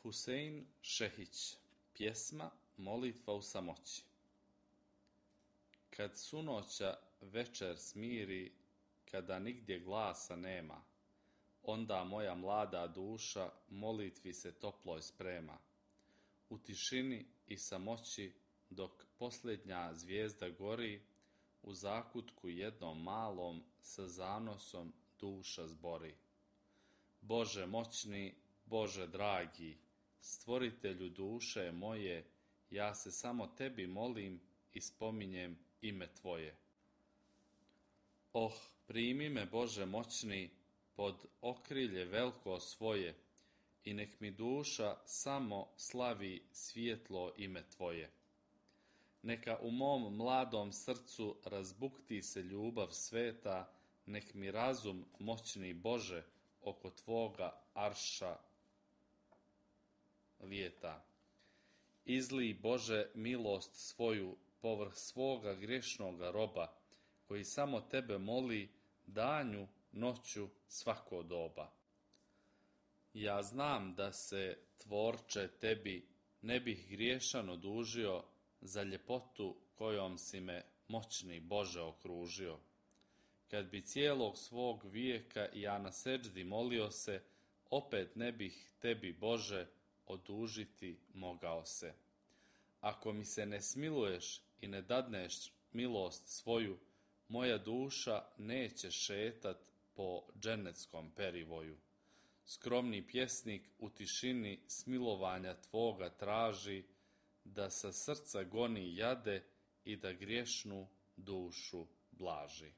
Husein Šehić, pjesma Molitva u samoći. Kad sunoća večer smiri, kada nigdje glasa nema, onda moja mlada duša molitvi se toploj sprema. U tišini i samoći, dok posljednja zvijezda gori, u zakutku jednom malom sa zanosom duša zbori. Bože moćni, Bože dragi, stvoritelju duše moje, ja se samo tebi molim i spominjem ime tvoje. Oh, primi me, Bože moćni, pod okrilje veliko svoje i nek mi duša samo slavi svjetlo ime tvoje. Neka u mom mladom srcu razbukti se ljubav sveta, nek mi razum, moćni Bože, oko tvoga arša lijeta. Izlij, Bože, milost svoju povrh svoga griješnoga roba, koji samo tebe moli danju, noću, svako doba. Ja znam da se, tvorče, tebi ne bih griješan odužio za ljepotu kojom si me, moćni Bože, okružio. Kad bi cijelog svog vijeka ja na seđdi molio se, opet ne bih tebi, Bože, odužiti mogao se. Ako mi se ne smiluješ i ne dadneš milost svoju, moja duša neće šetat po dženeckom perivoju. Skromni pjesnik u tišini smilovanja tvoga traži, da sa srca goni jade i da griješnu dušu blaži.